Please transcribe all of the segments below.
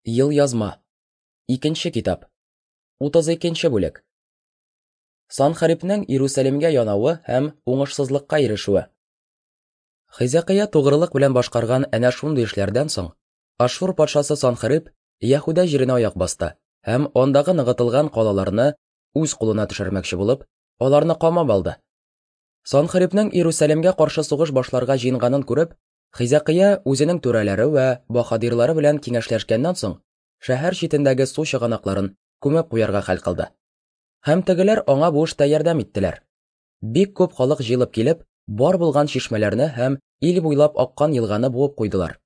Елъязма. Икенче китап. 32 бүлек. Санхарибнең Иерусалимгә янавы һәм уңышсызлыкка ирешүе. Хизәкыя тугрылык белән башкарган әнә шундый эшләрдән соң, Ашшур патшасы Санхариб Яһүдә җиренә аяк басты һәм андагы ныгытылган калаларны үз кулына төшермәкче булып, аларны камап алды. Санхарибнең Иерусалимгә каршы сугыш башларга җыенганын күреп, Хизәкыя үзенең түрәләре вә баһадирлары белән киңәшләшкәннән соң, шәһәр читендәге су чыганакларын күмеп куярга хәл кылды. Һәм тегеләр аңа бу эштә ярдәм иттеләр. Бик күп халык җыелып килеп, бар булган чишмәләрне һәм ил буйлап аккан елганы буып куйдылар.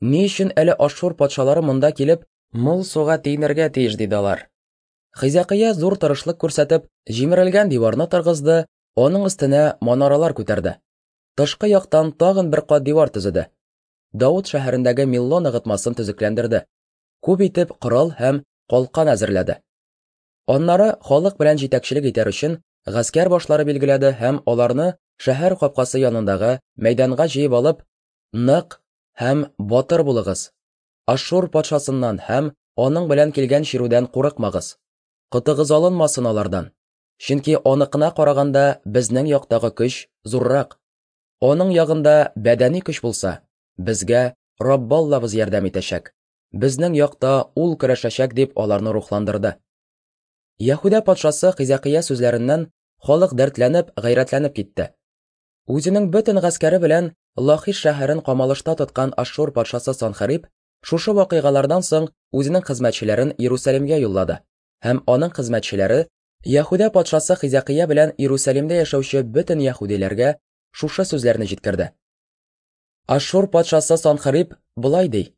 Ни өчен әле Ашшур патшалары монда килеп, мул суга тиенергә тиеш, диде алар. Хизәкыя зур тырышлык күрсәтеп, җимерелгән диварны торгызды, аның өстенә манаралар күтәрде. Тышкы яктан тагын бер кат дивар төзеде. Давыт шәһәрендәге Милло ныгытмасын төзекләндерде. Күп итеп корал һәм калкан әзерләде. Аннары халык белән җитәкчелек итәр өчен гаскәр башлары билгеләде һәм аларны шәһәр капкасы янындагы мәйданга җыеп алып, нык һәм батыр булыгыз. Ашшур патшасыннан һәм аның белән килгән чирүдән курыкмагыз. Котыгыз алынмасын алардан. Чөнки аныкына караганда безнең яктагы көч зуррак. Аның ягында бәдәни көч булса, безгә Раббаллабыз ярдәм итәчәк. Безнең якта ул көрәшәчәк, дип аларны рухландырды. Яһүдә патшасы Хизәкия сүзләреннән халык дәртләнеп, гайрәтләнеп китте. Үзенең бөтен гаскәре белән Лахиш шәһәрен камалышта тоткан Ашшур патшасы Санхариб шушы вакыйгалардан соң үзенең хезмәтчеләрен Иерусалимгә юллады һәм аның хезмәтчеләре Яһүдә патшасы Хизәкия белән Иерусалимдә яшәүче бөтен яһүдиләргә шушы сүзләрне җиткерде. Ашшур патшасы Санхариб болай ди: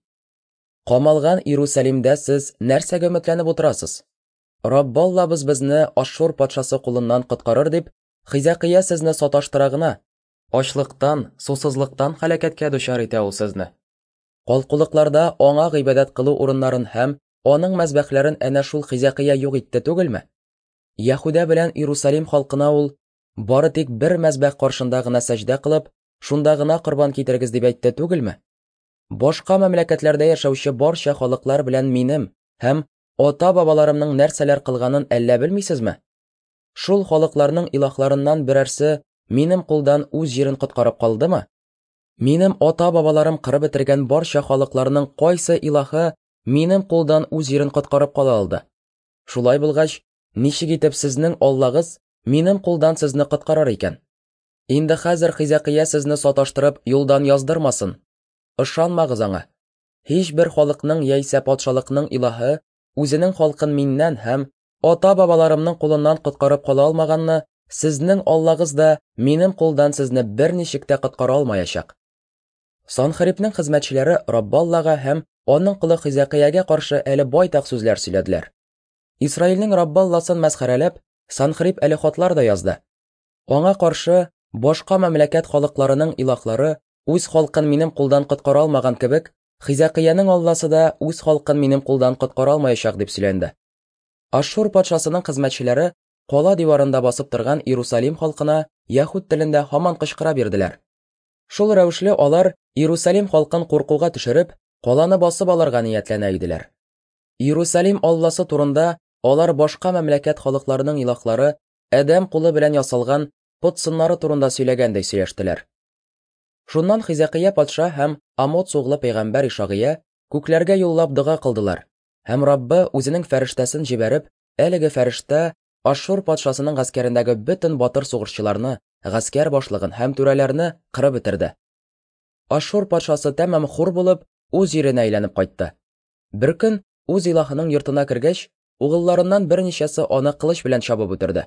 Камалган Иерусалимдә сез нәрсәгә өметләнеп утырасыз? Раббаллабыз безне Ашшур патшасы кулыннан коткарыр дип, Хизәкия сезне саташтыра гына. Ачлыктан, сусызлыктан һәлакәткә дучар итә ул сезне. Калкулыкларда аңа гыйбадәт кылу урыннарын һәм аның мәзбәхләрен әнә шул Хизәкия юк итте түгелме? Яһүдә белән Иерусалим халкына ул бары тик бер мәзбәх каршында гына сәҗдә кылып, шунда гына корбан китерегез дип әйтте түгелме? Башка мәмләкәтләрдә яшәүче барча халыклар белән минем һәм ата-бабаларымның нәрсәләр кылганын әллә белмисезме? Шул халыкларның илаһларыннан берәрсе минем кулдан үз җирен коткарып калдымы? Минем ата-бабаларым кырып бетергән барча халыкларның кайсы илаһы минем кулдан үз җирен коткарып кала алды? Шулай булгач, ничек итеп сезнең Аллагыз минем кулдан сезне коткарыр икән? Инде хәзер Хизәкия сезне саташтырып юлдан яздырмасын. Ышанмагыз аңа. Һичбер халыкның яисә патшалыкның илаһы үзенең халкын миннән һәм ата-бабаларымның кулыннан коткарып кала алмаганны, сезнең Аллагыз да минем кулдан сезне берничек тә коткара алмаячак. Санхарибның хезмәтчеләре Раббаллага һәм аның колы Хизәкиягә каршы әле байтак сүзләр сөйләделәр. Исраилнең Раббалласын мәсхәрәләп, Санхариб әле хатлар да язды. Аңа каршы башка мәмләкәт халыкларының илаһлары үз халкын минем кулдан коткара алмаган кебек, Хизәкиянең Алласы да үз халкын минем кулдан коткара алмаячак дип сөйләнде. Ашшур патшасының хезмәтчеләре кала диварында басып торган Иерусалим халкына яһүд телендә һаман кычкыра бирделәр. Шул рәвешле алар Иерусалим халкын куркуга төшереп, каланы басып алырга ниятләнә иделәр. Иерусалим Алласы турында алар башка мәмләкәт халыкларының илаһлары адәм кулы белән ясалган пот сыннары турында сөйләгәндәй сөйләштеләр. Шуннан Хизәкия патша һәм Амоц углы пәйгамбәр Ишагыя күкләргә юллап дога кылдылар, һәм Раббы үзенең фәрештәсен җибәреп, әлеге фәрештә Ашшур патшасының гаскәрендәге бөтен батыр сугышчыларны, гаскәр башлыгын һәм түрәләрне кырып бетерде. Ашшур патшасы тәмам хур булып, үз җиренә әйләнеп кайтты. Бер көн үз илаһының йортына кергәч, угылларыннан берничәсе аны кылыч белән чабып үтерде.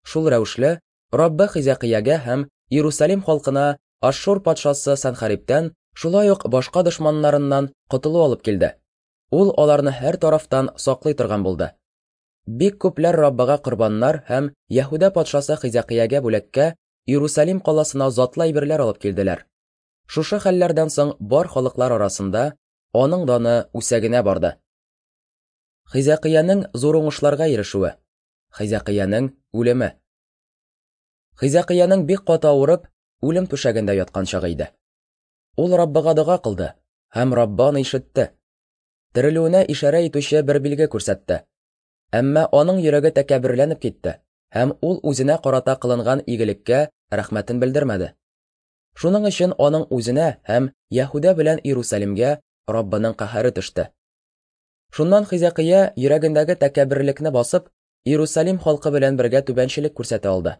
Шул рәвешле, Раббы Хизәкиягә һәм Иерусалим халкына Ашшур патшасы Санхарибтән, шулай ук башка дошманнарыннан котылу алып килде. Ул аларны һәр тарафтан саклый торган булды. Бик күпләр Раббыга корбаннар һәм Яһүдә патшасы Хизәкиягә бүләккә Иерусалим каласына затлы әйберләр алып килделәр. Шушы хәлләрдән соң бар халыклар арасында аның даны үсә генә барды. Хизәкиянең зур уңышларга ирешүе. Хизәкиянең үлеме. Хизәкиянең бик каты авырып, үлем түшәгендә яткан чагы иде. Ул Раббыга дога кылды, һәм Раббы аны ишетте. терелүенә ишарә итүче бер билге күрсәтте. Әмма аның йөрәге тәкәбберләнеп китте, һәм ул үзенә карата кылынган игелеккә рәхмәтен белдермәде. Шуның өчен аның үзенә һәм Яһүдә белән Иерусалимгә Раббының каһәре төште. Шуннан Хизәкыя йөрәгендәге тәкәбберлекне басып, Иерусалим халкы белән бергә түбәнчелек күрсәтә алды.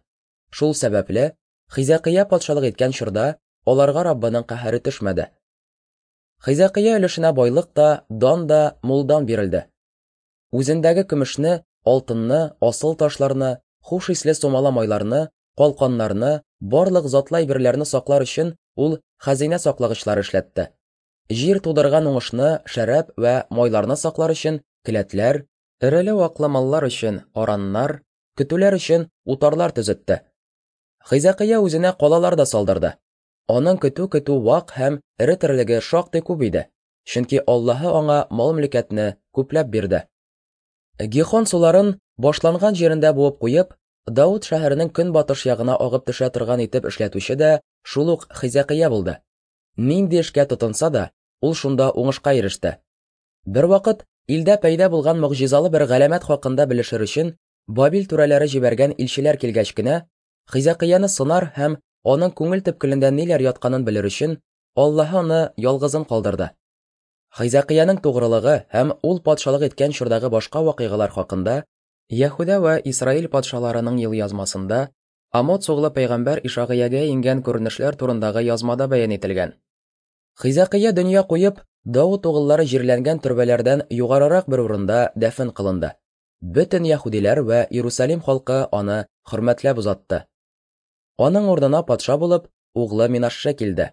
Шул сәбәпле, Хизәкыя патшалык иткән чорда аларга Раббының каһәре төшмәде. Хизәкыя өлешенә байлык та, дан да мулдан бирелде. Үзендәге көмешне, алтынны, асыл ташларны, хуш исле сумала майларны, калканнарны, барлык затлы әйберләрне саклар өчен ул хәзинә саклагычлары эшләтте. Җир тудырган уңышны, шәраб вә майларны саклар өчен келәтләр, эреле-ваклы маллар өчен араннар, көтүләр өчен утарлар төзетте. Хизәкыя үзенә калалар да салдырды. Аның көтү-көтү вак һәм эре терлеге шактый күп иде, чөнки Аллаһы аңа мал-мөлкәтне күпләп бирде. Гихон суларын башланган җирендә буып куеп, Дауд шәһәренең көнбатыш ягына агып төшә торган итеп эшләтүче дә шул ук Хизәкыя булды. Нинди эшкә тотынса да, ул шунда уңышка иреште. Бервакыт илдә пәйда булган могҗизалы бер галәмәт хакында белешер өчен Бабил түрәләре җибәргән илчеләр килгәч кенә, Хизәкыяны сынар һәм аның күңел төпкелендә ниләр ятканын белер өчен, Аллаһы аны ялгызын калдырды. Хизәкыянең тугрылыгы һәм ул патшалык иткән чордагы башка вакыйгалар хакында Яһүдә вә Исраил патшаларының елъязмасында Амоц углы пәйгамбәр Ишагыягә иңгән күренешләр турындагы язмада бәян ителгән. Хизәкыя дөнья куеп, Давыт угыллары җирләнгән төрбәләрдән югарырак бер урында дәфен кылынды. Бөтен яһүдиләр вә Иерусалим халкы аны хөрмәтләп озатты. Аның урынына патша булып, углы Минашше килде.